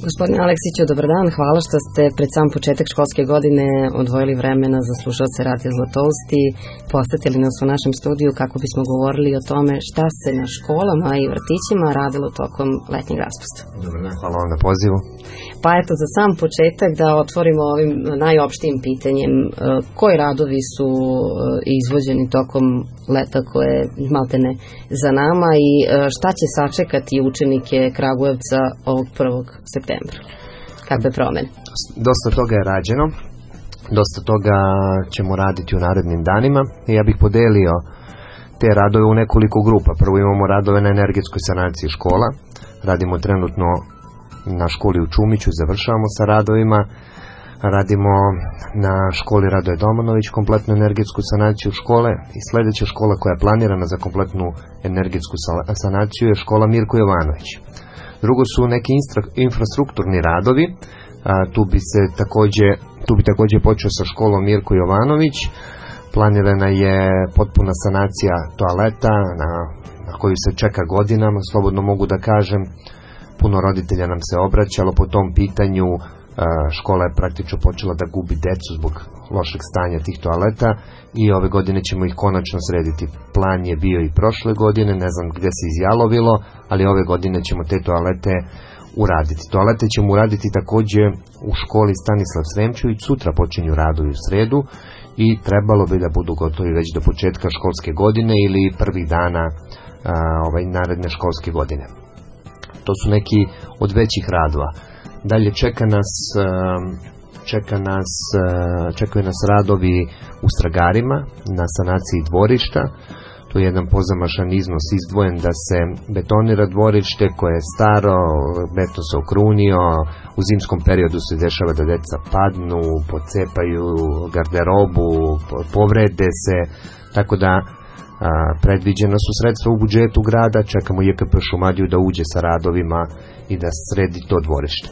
Gospodine Aleksiću, dobar dan. Hvala što ste pred sam početak školske godine odvojili vremena za slušalce Radija Zlatoust i posetili nas u našem studiju kako bismo govorili o tome šta se na školama i vrtićima radilo tokom letnjeg raspusta. Dobar dan, hvala vam na pozivu. Pa eto, za sam početak da otvorimo ovim najopštijim pitanjem. Koji radovi su izvođeni tokom leta koje maltene za nama i šta će sačekati učenike Kragujevca ovog 1. septembra? Kakve promene? Dosta toga je rađeno, dosta toga ćemo raditi u narednim danima i ja bih podelio te radove u nekoliko grupa. Prvo imamo radove na energetskoj sanaciji škola, radimo trenutno na školi u Čumiću, završavamo sa radovima, radimo na školi Radoje Domanović kompletnu energetsku sanaciju škole i sljedeća škola koja je planirana za kompletnu energetsku sanaciju je škola Mirko Jovanović. Drugo su neki infrastrukturni radovi, tu bi također počeo sa školom Mirko Jovanović. Planirana je potpuna sanacija toaleta na koju se čeka godinama, slobodno mogu da kažem. Puno roditelja nam se obraćalo po tom pitanju, škola je praktično počela da gubi decu zbog lošeg stanja tih toaleta i ove godine ćemo ih konačno srediti. Plan je bio i prošle godine, ne znam gdje se izjalovilo, ali ove godine ćemo te toalete uraditi. Toalete ćemo uraditi također u školi Stanislav Sremčević, sutra počinju radovi u sredu i trebalo bi da budu gotovi već do početka školske godine ili prvih dana naredne školske godine. To su neki od većih radova. Dalje čekaju nas radovi u Stragarima na sanaciji dvorišta. Tu je jedan pozamašan iznos izdvojen da se betonira dvorište koje je staro, beton se okrunio, u zimskom periodu se dešava da deca padnu, pocepaju garderobu, povrede se, tako da predviđena su sredstva u budžetu grada, čekamo JKP Šumadiju da uđe sa radovima i da sredi to dvorište.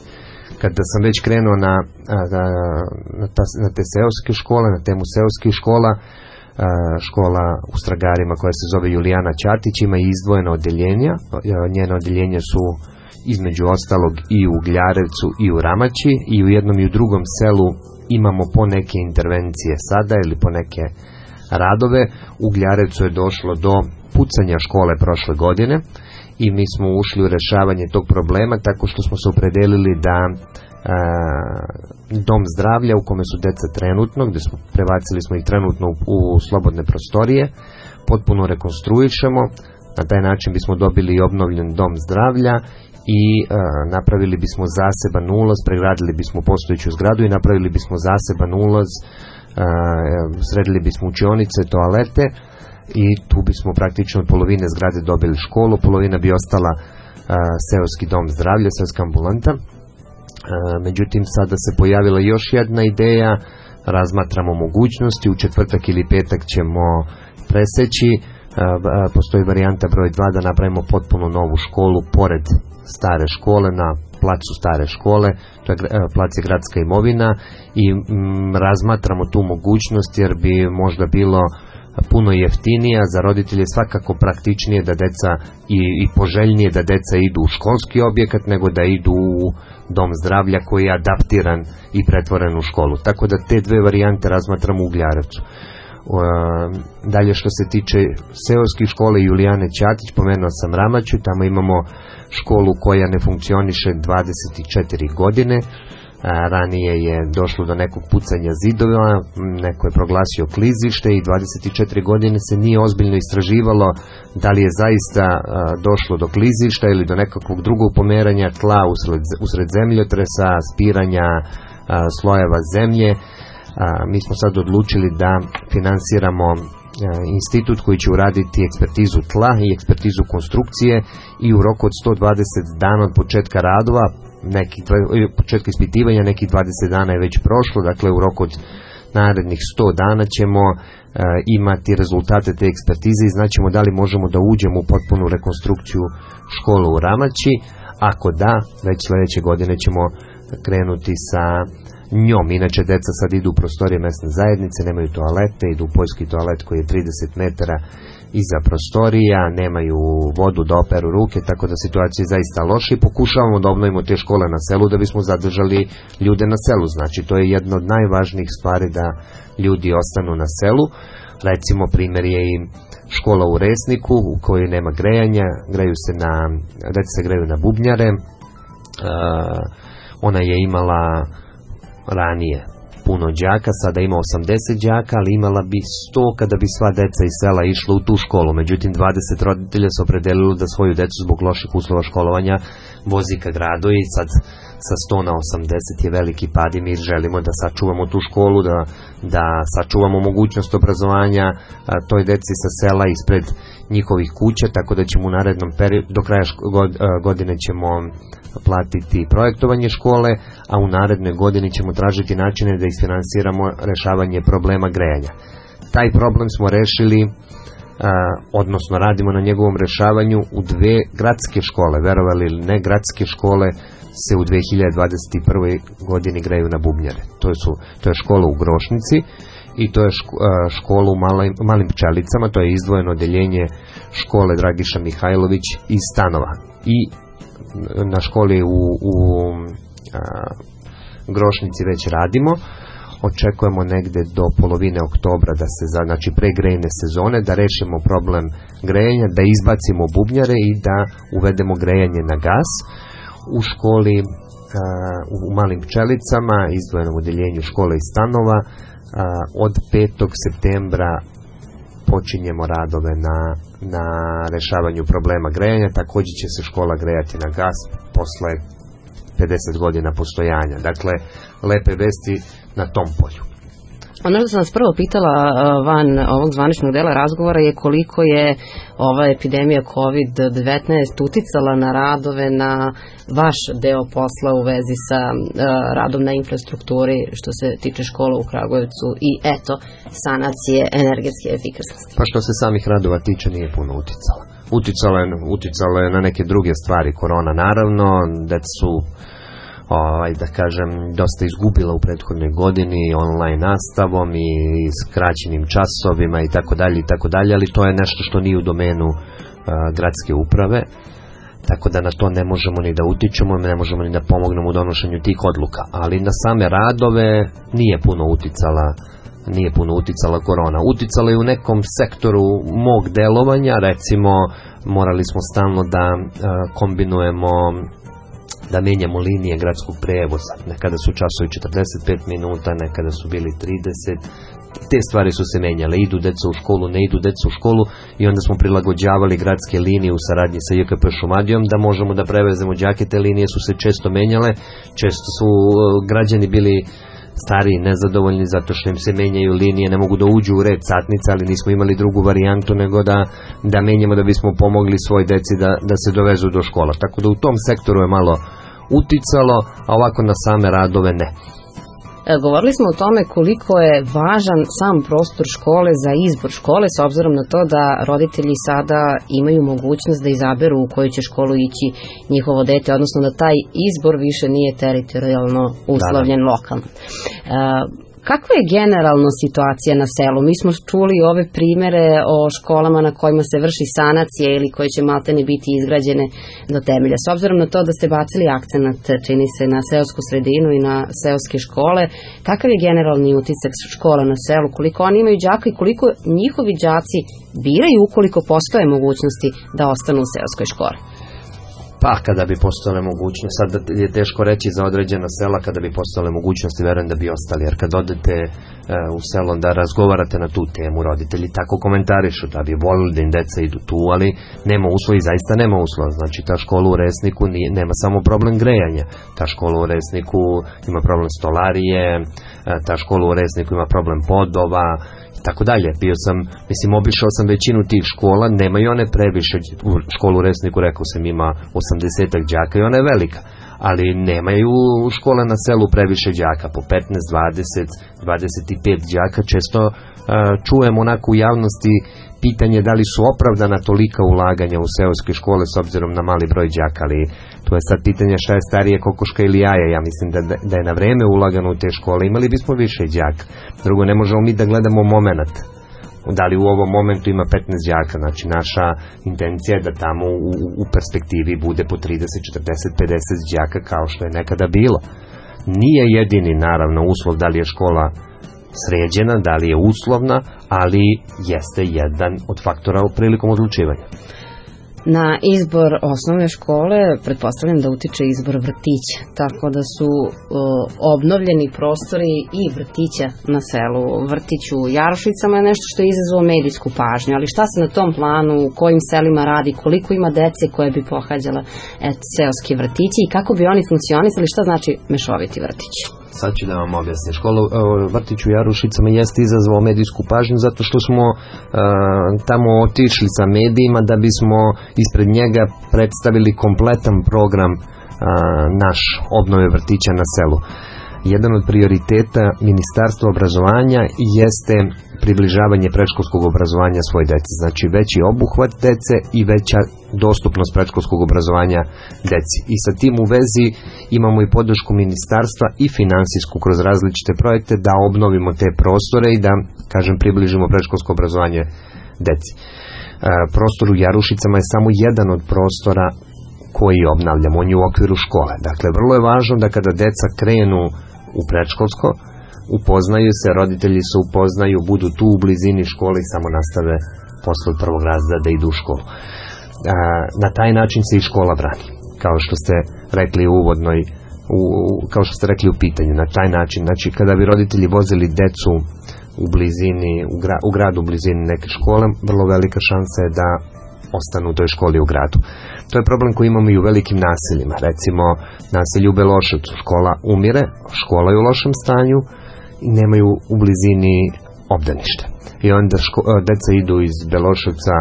Kada sam već krenuo na te seoske škole, na temu seoskih škola, škola u Stragarima koja se zove Julijana Ćatić ima i izdvojena odeljenja. Njena odeljenja su između ostalog i u Gljarevcu i u Ramaći i u jednom i u drugom selu imamo po neke intervencije sada ili po neke radove. U Gljarevcu je došlo do pucanja škole prošle godine i mi smo ušli u rešavanje tog problema tako što smo se opredelili da dom zdravlja u kome su deca trenutno, gdje smo prebacili smo ih trenutno u slobodne prostorije, potpuno rekonstruišemo. Na taj način bismo dobili i obnovljen dom zdravlja i napravili bismo zaseban ulaz, pregradili bismo postojeću zgradu i napravili bismo zaseban ulaz, sredili bismo učionice, toalete i tu bismo praktično od polovine zgrade dobili školu, polovina bi ostala seoski dom zdravlja, seoska ambulanta. Međutim, sada se pojavila još jedna ideja, razmatramo mogućnosti, u četvrtak ili petak ćemo preseći, postoji varijanta broj 2 da napravimo potpuno novu školu pored stare škole, na placu stare škole, to je plac je gradska imovina i razmatramo tu mogućnost jer bi možda bilo puno jeftinija, za roditelje svakako praktičnije da deca i poželjnije da deca idu u školski objekat nego da idu u dom zdravlja koji je adaptiran i pretvoren u školu. Tako da te dve varijante razmatramo u Gljarevcu. Dalje što se tiče seoskih škole Julijane Ćatić, pomenuo sam Ramaću, tamo imamo školu koja ne funkcioniše 24 godine. Ranije je došlo do nekog pucanja zidova, neko je proglasio klizište i 24 godine se nije ozbiljno istraživalo da li je zaista došlo do klizišta ili do nekakvog drugog pomeranja tla usred zemljotresa, spiranja slojeva zemlje. Mi smo sad odlučili da finansiramo institut koji će uraditi ekspertizu tla i ekspertizu konstrukcije i u roku od 120 dana od početka radova, početka ispitivanja, nekih 20 dana je već prošlo, dakle u roku od narednih 100 dana ćemo imati rezultate te ekspertize i znaćemo da li možemo da uđemo u potpunu rekonstrukciju škole u Ramaći. Ako da, već sljedeće godine ćemo krenuti sa njom. Inače, deca sad idu u prostorije mesne zajednice, nemaju toalete, idu u poljski toalet koji je 30 metara iza prostorija, nemaju vodu da operu ruke, tako da situacija je zaista loša i pokušavamo da obnovimo te škole na selu da bismo zadržali ljude na selu. Znači, to je jedna od najvažnijih stvari da ljudi ostanu na selu. Recimo, primjer je i škola u Resniku u kojoj nema grejanja, deca se greju na bubnjare. Ona je imala ranije puno đaka, sada ima 80 đaka, ali imala bi 100 kada bi sva deca iz sela išla u tu školu. Međutim, 20 roditelja se opredelilo da svoju decu zbog loših uslova školovanja vozi ka gradu i sad sa 100 na 80 je veliki pad i mi želimo da sačuvamo tu školu, da sačuvamo mogućnost obrazovanja toj deci sa sela ispred njihovih kuća, tako da ćemo u narednom periodu, do kraja godine ćemo platiti projektovanje škole, a u narednoj godini ćemo tražiti načine da isfinansiramo rešavanje problema grejanja. Taj problem smo rešili, odnosno radimo na njegovom rešavanju u 2 gradske škole. Verovali ili ne, gradske škole se u 2021. godini greju na bubnjare. To je škola u Grošnici i to je škola u Malim Pčelicama, to je izdvojeno odeljenje škole Dragiša Mihajlović iz stanova. I na školi u Grošnici već radimo. Očekujemo negde do polovine oktobra da se, znači pre grejne sezone, da rešimo problem grejenja, da izbacimo bubnjare i da uvedemo grejanje na gas. U školi u Malim Pčelicama, izdvojenom odeljenju škole i stanova, od 5. septembra počinjemo radove na rešavanju problema grejanja. Također će se škola grejati na gas posle 50 godina postojanja. Dakle, lepe vesti na tom polju. Ono što sam vas prvo pitala van ovog zvaničnog dela razgovora je koliko je ova epidemija COVID-19 uticala na radove, na vaš deo posla u vezi sa radom na infrastrukturi što se tiče škola u Kragujevcu i sanacije energetske efikasnosti. Pa što se samih radova tiče nije puno uticala. Uticala je na neke druge stvari, korona naravno, da su da kažem, dosta izgubila u prethodnoj godini online nastavom i skraćenim časovima i tako dalje, ali to je nešto što nije u domenu gradske uprave, tako da na to ne možemo ni da utičemo, ne možemo ni da pomognemo u donošenju tih odluka, ali na same radove nije puno uticala korona. Uticala je u nekom sektoru mog delovanja, recimo morali smo stalno da kombinujemo, da menjamo linije gradskog prevoza. Nekada su časovi 45 minuta, nekada su bili 30. Te stvari su se menjale. Idu deca u školu, ne idu deca u školu i onda smo prilagođavali gradske linije u saradnji sa JKP Šumadijom da možemo da prevezemo đake. Te linije su se često menjale. Često su građani bili stariji, nezadovoljni zato što im se menjaju linije, ne mogu da uđu u red satnica, ali nismo imali drugu varijantu nego da menjamo da bismo pomogli svoj deci da se dovezu do škola. Tako da u tom sektoru je malo uticalo, a ovako na same radove ne. Govorili smo o tome koliko je važan sam prostor škole za izbor škole, s obzirom na to da roditelji sada imaju mogućnost da izaberu u koju će školu ići njihovo dete, odnosno da taj izbor više nije teritorijalno uslovljen lokalno. Kakva je generalno situacija na selu? Mi smo čuli ove primere o školama na kojima se vrši sanacija ili koje će maltene biti izgrađene do temelja. S obzirom na to da ste bacili akcenat, čini se, na seosku sredinu i na seoske škole, kakav je generalni utisak škola na selu? Koliko oni imaju đaka i koliko njihovi đaci biraju ukoliko postoje mogućnosti da ostanu u seoskoj školi? Pa kada bi postale mogućnosti, sad je teško reći za određena sela, kada bi postale mogućnosti, verujem da bi ostali, jer kad odete u selo da razgovarate na tu temu, roditelji tako komentarišu da bi volili da im deca idu tu, ali nema uslova i zaista nema uslova. Znači ta škola u Resniku nema samo problem grejanja, ta škola u Resniku ima problem stolarije, ta škola u Resniku ima problem podova, tako dalje. Obišao sam većinu tih škola, nemaju one previše, u školu u Resniku rekao sam ima 80 đaka i ona je velika, ali nemaju škole na selu previše đaka, po 15, 20, 25 đaka. Često čujem onako u javnosti pitanje da li su opravdana tolika ulaganja u seoske škole s obzirom na mali broj đaka, ali to je sad pitanje šta je starije, kokoška ili jaja. Ja mislim da je na vreme ulagano u te škole, imali bismo više đaka. Drugo, ne možemo mi da gledamo moment. Da li u ovom momentu ima 15 đaka, znači naša intencija je da tamo u perspektivi bude po 30, 40, 50 đaka kao što je nekada bilo. Nije jedini naravno uslov da li je škola sređena, da li je uslovna, ali jeste jedan od faktora prilikom odlučivanja. Na izbor osnovne škole pretpostavljam da utiče izbor vrtića, tako da su obnovljeni prostori i vrtića na selu. Vrtić u Jarušicama je nešto što je izazvalo medijsku pažnju, ali šta se na tom planu, u kojim selima radi, koliko ima dece koje bi pohađala seoski vrtići i kako bi oni funkcionisali, šta znači mešoviti vrtić? Sad ću da vam objasnim. Vrtić u Jarušicama jeste izazvao medijsku pažnju zato što smo tamo otišli sa medijima da bismo ispred njega predstavili kompletan program naš obnove vrtića na selu. Jedan od prioriteta Ministarstva obrazovanja jeste približavanje predškolskog obrazovanja svoje dece. Znači veći obuhvat dece i veća dostupnost predškolskog obrazovanja deci. I sa tim u vezi imamo i podršku ministarstva i finansijsku kroz različite projekte da obnovimo te prostore i da, kažem, približimo predškolsko obrazovanje deci. Prostor u Jarušicama je samo jedan od prostora koji obnavljamo, on je u okviru škole. Dakle, vrlo je važno da kada deca krenu u predškolsko, upoznaju se, roditelji se upoznaju, budu tu u blizini škole i samo nastave posle prvog razreda da idu u školu. Na taj način se i škola brani, kao što ste rekli u uvodnoj, kao što ste rekli u pitanju, na taj način. Znači, kada bi roditelji vozili decu u blizini, u gradu u blizini neke škole, vrlo velika šansa je da ostanu u toj školi u gradu. To je problem koji imamo i u velikim naseljima. Recimo, naselju u Beloševcu, škola umire, škola je u lošem stanju i nemaju u blizini obdanište. I onda deca idu iz Beloševca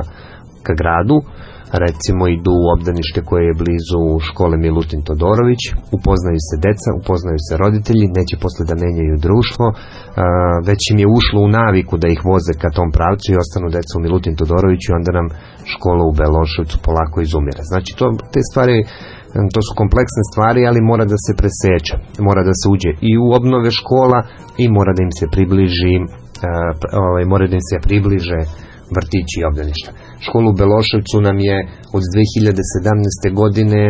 ka gradu, recimo idu u obdanište koje je blizu škole Milutin Todorović, upoznaju se deca, upoznaju se roditelji, neće posle da menjaju društvo, već im je ušlo u naviku da ih voze ka tom pravcu i ostanu deca u Milutin Todoroviću i onda nam škola u Beloševcu polako izumire. Znači te stvari, to su kompleksne stvari, ali mora da se preseče, mora da se uđe i u obnove škola i mora da im se približe vrtići i obdaništa. Školu u Beloševcu nam je od 2017. godine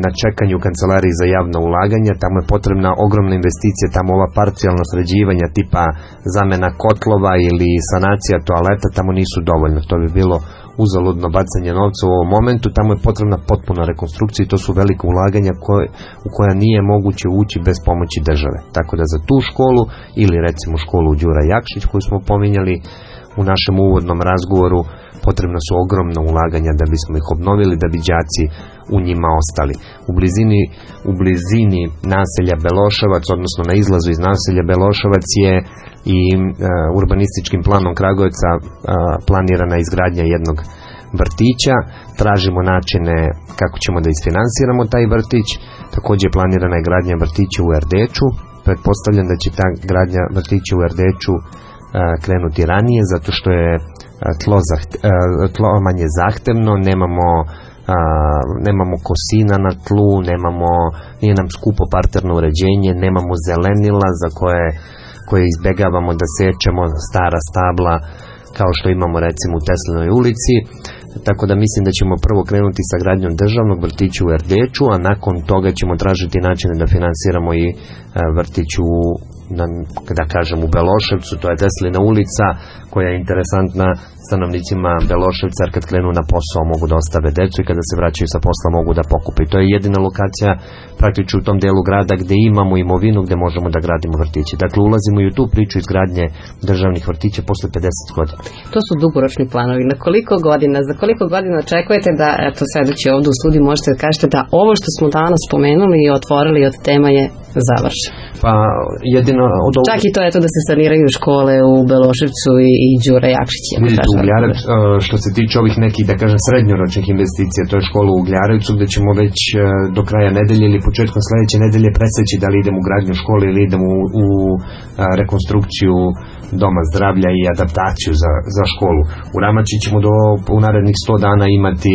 na čekanju Kancelariji za javna ulaganja. Tamo je potrebna ogromna investicija, tamo ova parcijalna sređivanja tipa zamena kotlova ili sanacija toaleta tamo nisu dovoljno. To bi bilo uzaludno bacanje novca u ovom momentu. Tamo je potrebna potpuna rekonstrukcija i to su velike ulaganja u koja nije moguće ući bez pomoći države. Tako da za tu školu ili recimo školu Đura Jakšić koju smo pominjali u našem uvodnom razgovoru, potrebna su ogromna ulaganja da bismo ih obnovili, da bi đaci u njima ostali. U blizini naselja Beloševac, odnosno na izlazu iz naselja Beloševac je i urbanističkim planom Kragujevca planirana izgradnja jednog vrtića. Tražimo načine kako ćemo da isfinansiramo taj vrtić. Također planirana je gradnja vrtića u Erdeču. Pretpostavljam da će ta gradnja vrtića u Erdeču krenuti ranije, zato što je tlo manje zahtevno, nemamo kosina na tlu, nije nam skupo parterno uređenje, nemamo zelenila za koje izbegavamo da sečemo stara stabla kao što imamo recimo u Teslinoj ulici. Tako da mislim da ćemo prvo krenuti sa gradnjom državnog vrtića u Erdeču, a nakon toga ćemo tražiti načine da finansiramo i vrtić da kažem u Beloševcu, to je Teslina ulica koja je interesantna stanovnicima Beloševca, jer kad krenu na posao mogu da ostave decu i kada se vraćaju sa posla mogu da pokupe. To je jedina lokacija praktično u tom delu grada gde imamo imovinu gde možemo da gradimo vrtiće. Dakle, ulazimo i u tu priču izgradnje državnih vrtića posle 50 godina. To su dugoročni planovi. Na koliko godina, za koliko godina očekujete da, eto sedeći ovdje u studiju, možete da kažete da ovo što smo danas spomenuli i otvorili od tema je završeno? Pa jedino čak i to je to da se saniraju škole u Beloševcu i Đura Jakšić. Vidite, u Gljarevcu, što se tiče ovih nekih, da kažem, srednjoročnih investicija, to je škola u Gljarevcu gde ćemo već do kraja nedelje ili početkom sledeće nedelje preseći da li idemo u gradnju škole ili idemo u rekonstrukciju doma zdravlja i adaptaciju za školu. U Ramači ćemo u narednih 100 dana imati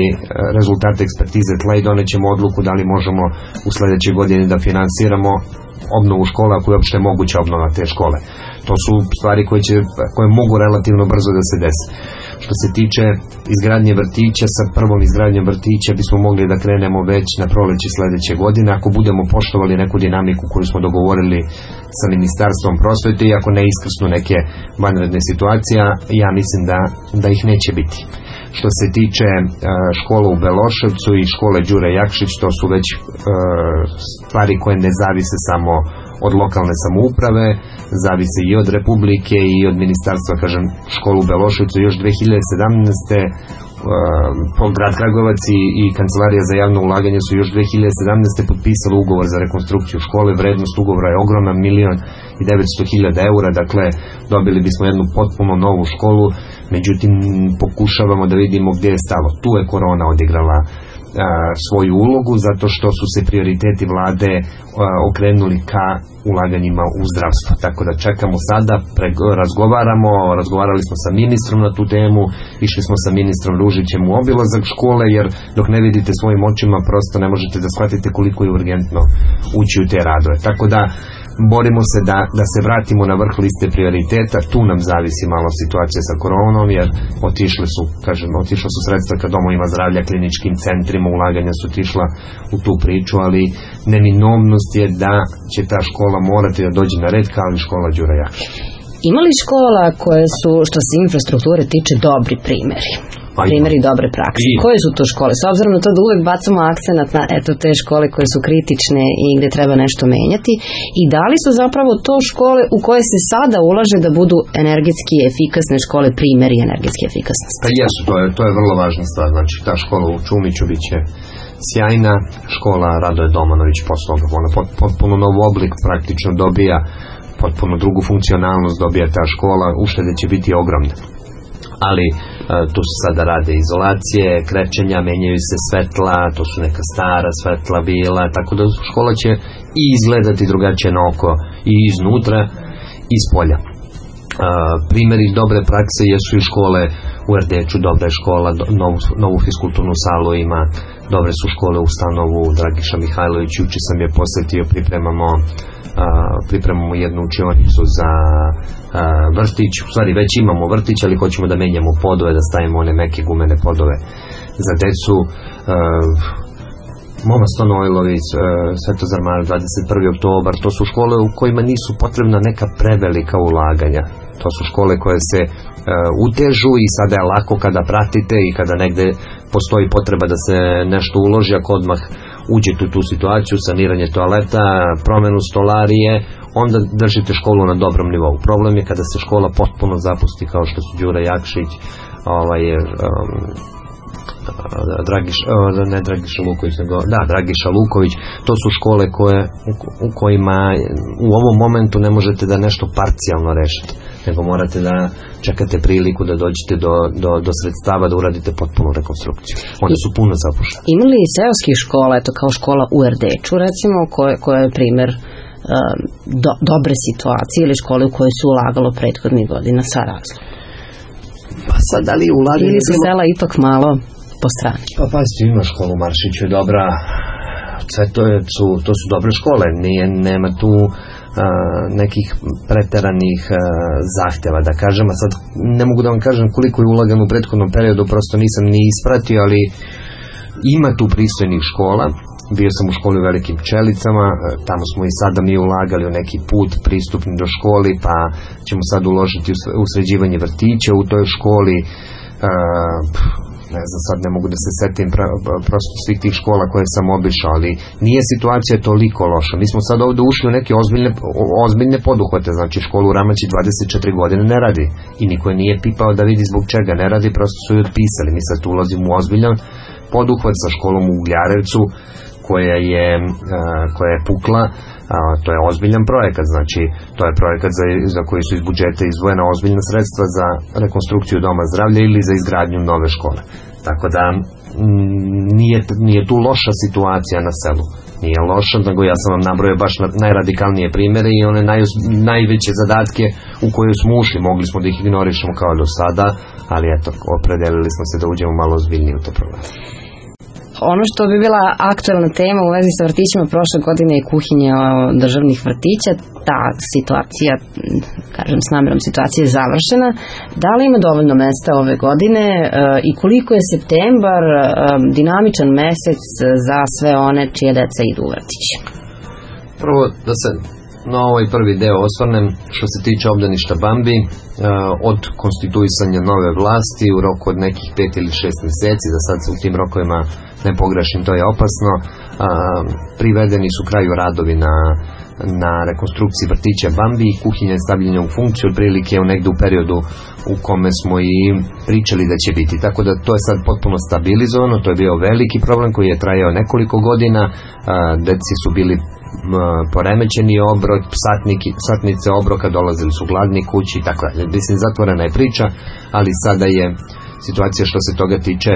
rezultate ekspertize tla i donećemo odluku da li možemo u sledećoj godini da finansiramo obnovu škola ako je uopšte moguća obnova te škole. To su stvari koje mogu relativno brzo da se desi. Što se tiče izgradnje vrtića, sa prvom izgradnjom vrtića bismo mogli da krenemo već na proleće sledeće godine, ako budemo poštovali neku dinamiku koju smo dogovorili sa Ministarstvom prosvete i ako ne iskrsnu neke vanredne situacije, ja mislim da ih neće biti. Što se tiče škola u Beloševcu i škole Đure Jakšić, to su već stvari koje ne zavise samo od lokalne samouprave, zavise i od Republike i od ministarstva. Kažem, školu u Beloševcu još 2017. Grad Kragujevac i Kancelarija za javno ulaganje su još 2017. potpisali ugovor za rekonstrukciju škole. Vrednost ugovora je ogromna, 1.900.000 eura, dakle dobili bismo jednu potpuno novu školu, međutim pokušavamo da vidimo gdje je stalo. Tu je korona odigrala svoju ulogu, zato što su se prioriteti vlade okrenuli ka ulaganjima u zdravstvo. Tako da čekamo sada, razgovarali smo sa ministrom na tu temu, išli smo sa ministrom Ružićem u obilazak škole, jer dok ne vidite svojim očima prosto ne možete da shvatite koliko je urgentno ući u te radove. Tako da borimo se da se vratimo na vrh liste prioriteta. Tu nam zavisi malo situacija sa koronom, jer otišla su sredstva ka domovima zdravlja, kliničkim centrima, ulaganja su otišla u tu priču, ali neminovnost je da će ta škola morati da dođe na red kao i škola Đura Jakšić. Ima li škola koje su, što se infrastrukture tiče, dobri primjeri? Primjeri dobre prakse. Koje su to škole? S obzirom na to da uvek bacamo akcenat na te škole koje su kritične i gde treba nešto menjati, i da li su zapravo to škole u koje se sada ulaže da budu energetski efikasne škole, primjeri energetske efikasnosti? Pa jesu, to je vrlo važna stvar. Znači, ta škola u Čumiću biće sjajna, škola Radoje Domanović posle toga, ona potpuno nov oblik praktično dobija, potpuno drugu funkcionalnost dobija ta škola, uštede će biti ogromne. Ali tu se sada rade izolacije, krečenja, menjaju se svetla, to su neka stara svetla bila, tako da škola će i izgledati drugačije na oko i iznutra i s polja. Primjeri dobre prakse jesu i škole u Erdeču, dobra je škola, novu fiskulturnu salu ima, dobre su škole u Stanovu, Dragiša Mihajlović, juče sam je posetio, pripremamo jednu učionicu za vrtić, u stvari već imamo vrtić, ali hoćemo da menjamo podove, da stavimo one meke gumene podove za decu. Moma Stonojlović, Svetozar Mar, 21. oktobar, to su škole u kojima nisu potrebna neka prevelika ulaganja. To su škole koje se utežu i sada je lako kada pratite i kada negde postoji potreba da se nešto uloži, ako odmah uđete u tu situaciju, saniranje toaleta, promenu stolarije, onda držite školu na dobrom nivou. Problem je kada se škola potpuno zapusti, kao što su Đura Jakšić, Dragiša Luković. To su škole u kojima u ovom momentu ne možete da nešto parcijalno rešite, nego morate da čekate priliku da dođete do sredstava da uradite potpunu rekonstrukciju. One su puno zapuštene. Ima li seoskih škola, eto kao škola u Erdeču recimo, koja je primer dobre situacije, ili škole u koje su ulagalo prethodnih godina sa razlogom? Pa sad, da li ulaganje... Ili su sela ipak malo po strani? Pa pazite, ima škola u Maršiću je dobra, sve to su dobre škole, nema tu nekih preteranih zahteva, da kažem, a sad ne mogu da vam kažem koliko je ulagano u prethodnom periodu, prosto nisam ni ispratio, ali ima tu pristojnih škola. Bio sam u školi u Velikim Pčelicama, tamo smo i sada mi ulagali u neki put pristupni do školi, pa ćemo sad uložiti u sređivanje vrtića u toj školi. Ne znam, sad ne mogu da se setim prosto svih tih škola koje sam obišao, ali nije situacija toliko loša. Mi smo sad ovde ušli u neke ozbiljne poduhvate, znači školu u Ramaći 24 godine ne radi i niko je nije pipao da vidi zbog čega ne radi, prosto su ju otpisali. Mi sad tu ulazimo u ozbiljan poduhvat sa školom u Ugljarevcu koja je pukla. To je ozbiljan projekat, znači to je projekat za koji su iz budžeta izdvojena ozbiljna sredstva za rekonstrukciju doma zdravlja ili za izgradnju nove škole. Tako da nije tu loša situacija na selu. Nije loša, nego ja sam vam nabrojao baš najradikalnije primjere i one najveće zadatke u koje smo ušli. Mogli smo da ih ignorišemo kao do sada, ali eto, opredelili smo se da uđemo malo ozbiljnije u te probleme. Ono što bi bila aktuelna tema u vezi sa vrtićima prošle godine je kuhinja državnih vrtića. Ta situacija, kažem s namerom, situacija je završena. Da li ima dovoljno mesta ove godine i koliko je septembar dinamičan mesec za sve one čije deca idu u vrtić? Prvo da se na ovaj prvi deo osvrnem što se tiče obdaništa Bambi. Od konstituisanja nove vlasti u roku od nekih 5 ili 6 mjeseci, da sad u tim rokovima ne pogrešim, to je opasno, privedeni su kraju radovi na rekonstrukciji vrtića Bambi i kuhinja je stavljena u funkciju otprilike negde u periodu u kome smo i pričali da će biti. Tako da to je sad potpuno stabilizovano, to je bio veliki problem koji je trajao nekoliko godina, deci su bili poremećeni obrok, satnice obroka, dolazili su gladni kući i tako dalje. Mislim, zatvorena je priča, ali sada je situacija što se toga tiče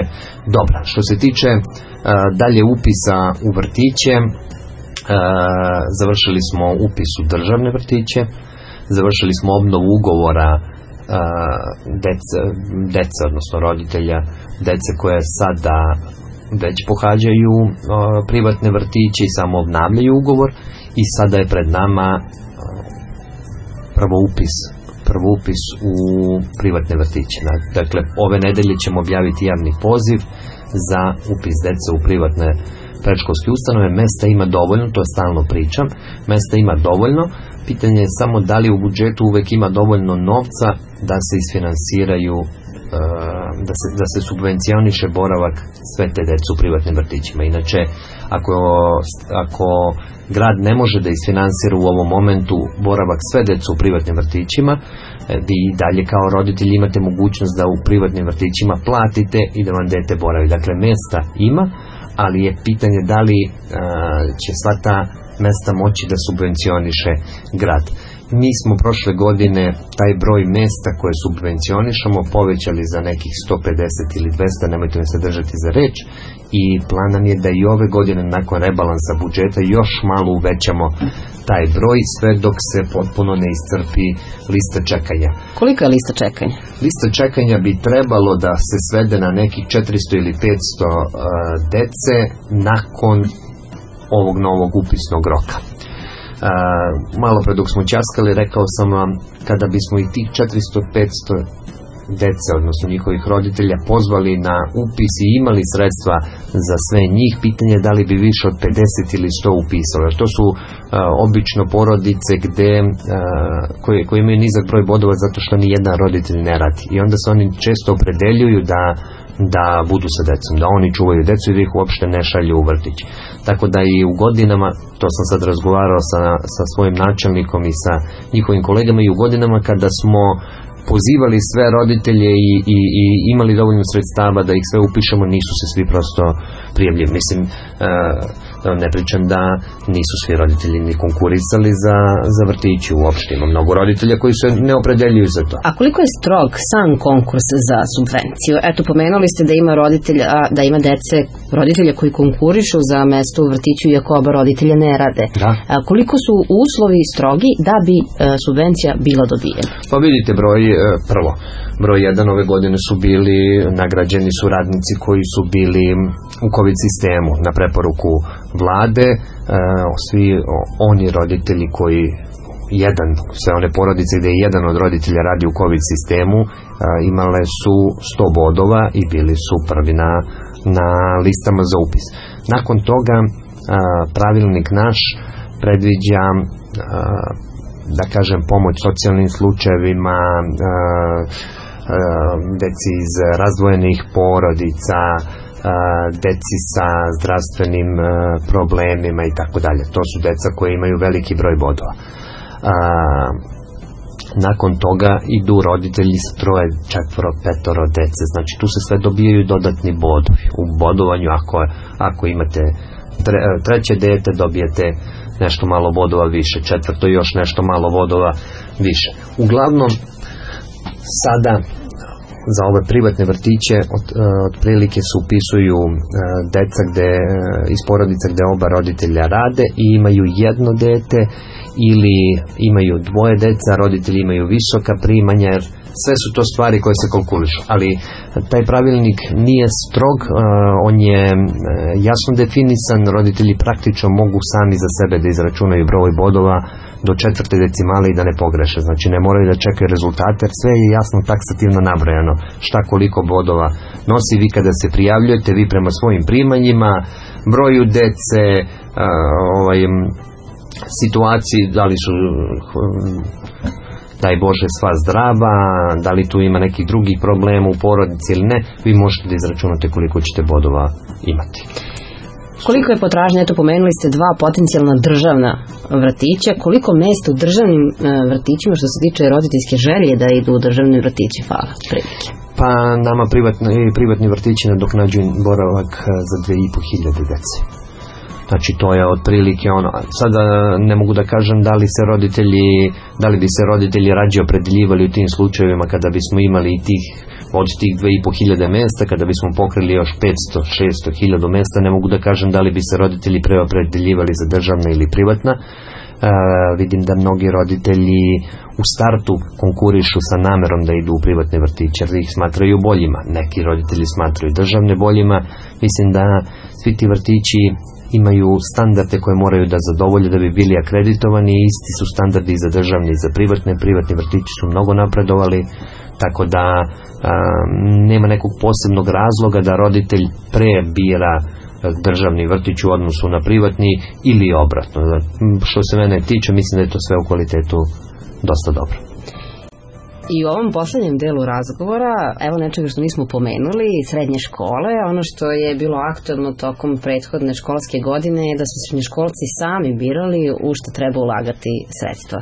dobra. Što se tiče dalje upisa u vrtiće, završili smo upis u državne vrtiće, završili smo obnovu ugovora dece, odnosno roditelja dece koje sada već pohađaju privatne vrtiće i samo obnavljaju ugovor, i sada je pred nama prvo upis u privatne vrtiće. Dakle, ove nedelje ćemo objaviti javni poziv za upis dece u privatne predškolske ustanove. Mesta ima dovoljno, to je stalno pričam, mesta ima dovoljno, pitanje je samo da li u budžetu uvek ima dovoljno novca da se isfinansiraju, da se subvencioniše boravak sve te dece u privatnim vrtićima. Inače, ako grad ne može da isfinansira u ovom momentu boravak sve dece u privatnim vrtićima, vi dalje kao roditelji imate mogućnost da u privatnim vrtićima platite i da vam dete boravi. Dakle, mesta ima, ali je pitanje da li će sva ta mesta moći da subvencioniše grad. Mi smo prošle godine taj broj mesta koje subvencionišemo povećali za nekih 150 ili 200, nemojte me se držati za reč, i plan nam je da i ove godine nakon rebalansa budžeta još malo uvećamo taj broj, sve dok se potpuno ne iscrpi lista čekanja. Kolika je lista čekanja? Lista čekanja bi trebalo da se svede na nekih 400 ili 500 dece nakon ovog novog upisnog roka. Malo pre dok smo ćaskali, rekao sam vam, kada bismo i tih 400-500 dece, odnosno njihovih roditelja, pozvali na upis i imali sredstva za sve njih, pitanje je da li bi više od 50 ili 100 upisali. To su obično porodice koje imaju nizak broj bodova zato što ni jedan roditelj ne radi, i onda se oni često opredeljuju da budu sa decom, da oni čuvaju decu i da ih uopšte ne šalju u vrtić. Tako da i u godinama, to sam sad razgovarao sa svojim načelnikom i sa njihovim kolegama, i u godinama kada smo pozivali sve roditelje i imali dovoljno sredstava da ih sve upišemo, nisu se svi prosto prijavljeni. Mislim, ne pričam da nisu svi roditelji ni konkurisali za vrtići uopšte. Ima mnogo roditelja koji se ne opredeljuju za to. A koliko je strog sam konkurs za subvenciju? Eto, pomenuli ste da ima roditelja koji konkurišu za mesto u vrtiću iako oba roditelja ne rade. Da. Koliko su uslovi strogi da bi subvencija bila dobijena? Pa vidite, broj 1 ove godine su bili nagrađeni su radnici koji su bili u COVID sistemu na preporuku vlade. Svi oni roditelji koji sve one porodice gde je jedan od roditelja radi u COVID sistemu imale su 100 bodova i bili su prvi na listama za upis. Nakon toga pravilnik naš predviđa, da kažem, pomoć socijalnim slučajevima, deci iz razdvojenih porodica, deci sa zdravstvenim problemima i tako dalje. To su deca koje imaju veliki broj bodova. Nakon toga idu roditelji s 3, 4, 5 dece. Znači tu se sve dobijaju dodatni bodovi. U bodovanju ako imate 3 dete dobijete nešto malo bodova više, 4 još nešto malo bodova više. Uglavnom sada za ove privatne vrtiće otprilike se upisuju deca iz porodica gde oba roditelja rade i imaju jedno dete, ili imaju 2 deca, roditelji imaju visoka primanja, jer sve su to stvari koje se kalkulišu, ali taj pravilnik nije strog, on je jasno definisan, roditelji praktično mogu sami za sebe da izračunaju broj bodova do 4. decimale i da ne pogreše, znači ne moraju da čekaju rezultate, jer sve je jasno taksativno nabrojano šta koliko bodova nosi. Vi kada se prijavljujete, vi prema svojim primanjima, broju dece, situaciji, da li su daj Bože sva zdrava, da li tu ima nekih drugih problema u porodici ili ne, vi možete da izračunate koliko ćete bodova imati. Koliko je potražnja, eto pomenuli ste 2 potencijalna državna vrtića, koliko mesta u državnim vrtićima što se tiče roditeljske želje da idu u državni vrtići fala prilike? Pa nama privatni vrtići nadoknađuju boravak za 2.500 dece. Znači to je otprilike ono. Sada ne mogu da kažem da li bi se roditelji rađe opredeljivali u tim slučajevima kada bismo imali od tih 2.500 mesta, kada bismo pokrili još 500, 600, 1000 mesta, ne mogu da kažem da li bi se roditelji preopredeljivali za državna ili privatna. Vidim da mnogi roditelji u startu konkurišu sa namerom da idu u privatne vrtiće, jer ih smatraju boljima. Neki roditelji smatraju državne boljima. Mislim da svi ti vrtići imaju standarde koje moraju da zadovolje da bi bili akreditovani i isti su standardi i za državne i za privatne. Privatni vrtići su mnogo napredovali, tako da nema nekog posebnog razloga da roditelj prebira državni vrtić u odnosu na privatni ili obratno. Što se mene tiče, mislim da je to sve u kvalitetu dosta dobro. I u ovom poslednjem delu razgovora, evo nečega što nismo pomenuli, srednje škole, ono što je bilo aktuelno tokom prethodne školske godine je da su srednjoškolci sami birali u što treba ulagati sredstva.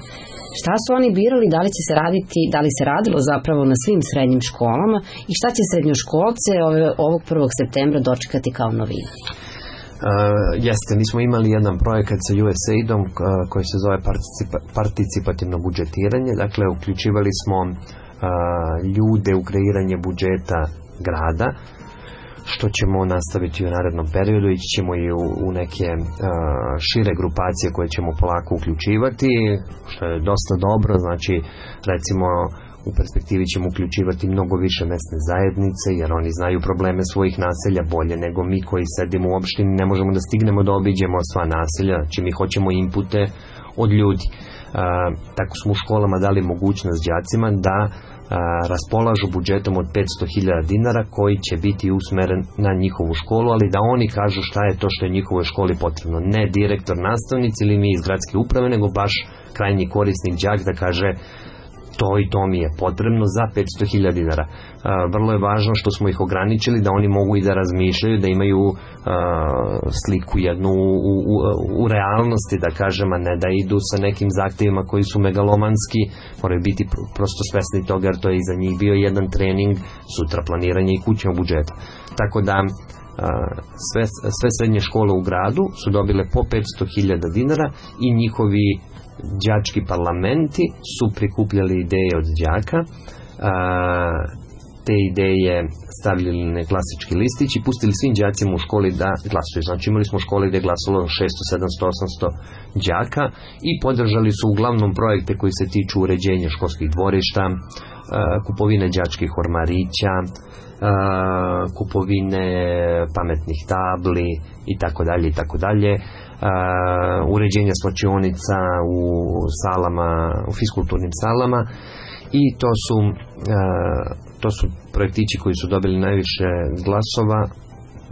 Šta su oni birali, da li se radilo zapravo na svim srednjim školama i šta će srednjoškolce ovog 1. septembra dočekati kao novinu? Jeste, mi smo imali jedan projekat sa USAID-om koji se zove participativno budžetiranje, dakle uključivali smo ljude u kreiranje budžeta grada, što ćemo nastaviti u narednom periodu, ići ćemo i u neke šire grupacije koje ćemo polako uključivati, što je dosta dobro, znači recimo u perspektivi ćemo uključivati mnogo više mesne zajednice, jer oni znaju probleme svojih naselja bolje nego mi koji sedimo u opštini, ne možemo da stignemo da obiđemo sva naselja, znači mi hoćemo inpute od ljudi. Tako smo u školama dali mogućnost đacima da raspolažu budžetom od 500.000 dinara koji će biti usmeren na njihovu školu, ali da oni kažu šta je to što je njihovoj školi potrebno. Ne direktor, nastavnici ili mi iz gradske uprave, nego baš krajnji korisnik đak da kaže to i to mi je potrebno za 500.000 dinara. Vrlo je važno što smo ih ograničili da oni mogu i da razmišljaju, da imaju sliku jednu u realnosti, da kažem, a ne da idu sa nekim zahtevima koji su megalomanski, moraju biti prosto svesni toga, jer to je i za njih bio jedan trening, sutra planiranje i kućnog budžeta. Tako da sve srednje škole u gradu su dobile po 500.000 dinara i njihovi đački parlamenti su prikupljali ideje od đaka, te ideje stavljali na glasački listić i pustili svim đacima u školi da glasuju. Znači imali smo škole gde je glasalo 600, 700, 800 đaka i podržali su uglavnom projekte koji se tiču uređenja školskih dvorišta, kupovine đačkih ormarića, kupovine pametnih tabli i tako dalje, uređenja slačionica u salama, u fiskulturnim salama, i to su projektići koji su dobili najviše glasova.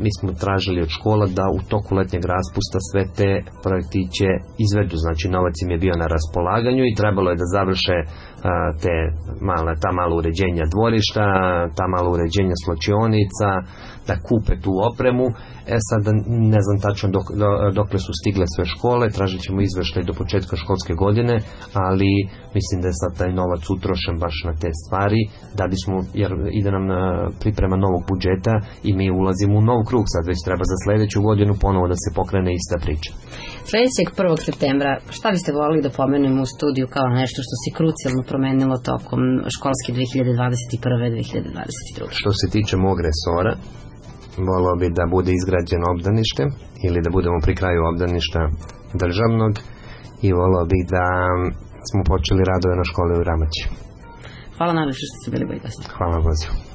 Mi smo tražili od škola da u toku letnjeg raspusta sve te projektiće izvedu, znači novac im je bio na raspolaganju i trebalo je da završe ta mala uređenja dvorišta, ta mala uređenja slačionica, da kupe tu opremu. Sad ne znam tačno dokle su stigle sve škole, tražit ćemo izveštaj do početka školske godine, ali mislim da je sad taj novac utrošen baš na te stvari, da bismo, jer ide nam priprema novog budžeta i mi ulazimo u nov krug, sad već treba za sledeću godinu ponovo da se pokrene ista priča. Sledećeg 1. septembra, šta biste volili da pomenemo u studiju kao nešto što se krucijalno promenilo tokom školske 2021-2022? Što se tiče mog resora, volao bi da bude izgrađeno obdanište ili da budemo pri kraju obdaništa državnog i volao bi da smo počeli radove na školi u Ramaći. Hvala najviše što ste bili gosti. Hvala, pozivu.